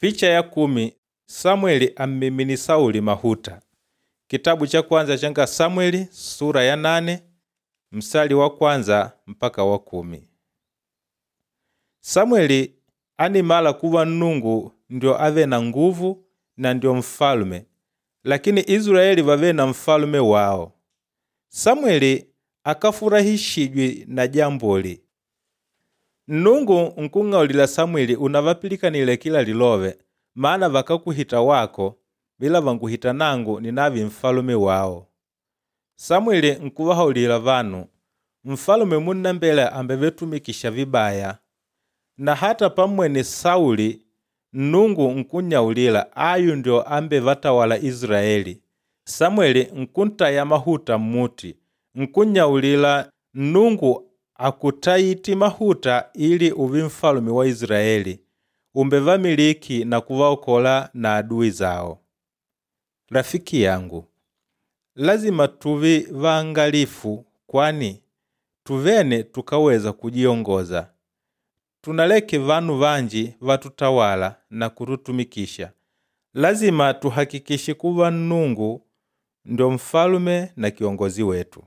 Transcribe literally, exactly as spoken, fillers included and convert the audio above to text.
Picha ya kumi Samweli ammimini Sauli mahuta. Kitabu cha kwanza changa Samweli sura ya nane msali wa kwanza mpaka wa kumi. Samweli animala kuva Nnungu ndio ave na nguvu na ndio mfalume, lakini Israeli vave na mfalume wao. Samweli akafurahishijwi na jamboli. Nnungu nkung'aulila Samweli unavapilikanile kila lilove, maana vakakuhita wako ila vanguhita nangu ninavi mfalume wao. Samweli nkuvahaulila vanu, mfalume munnambela ambevetumikisha vibaya. Na hata pammwene Sauli Nnungu nkunnyaulila ayu ndio ambevatawala Israeli. Samweli nkuntaya mahuta mmuti, nkunnyaulila Nnungu akutayiti mahuta ili uvi mfalume wa Israeli, umbevamiliki na kuvaokola na adui zao. Rafiki yangu, lazima tuvi vaangalifu kwani tuvene tukaweza kujiongoza. Tunaleke vanu vanji vatutawala na kututumikisha. Lazima tuhakikishe kuva Nnungu ndio mfalume na kiongozi wetu.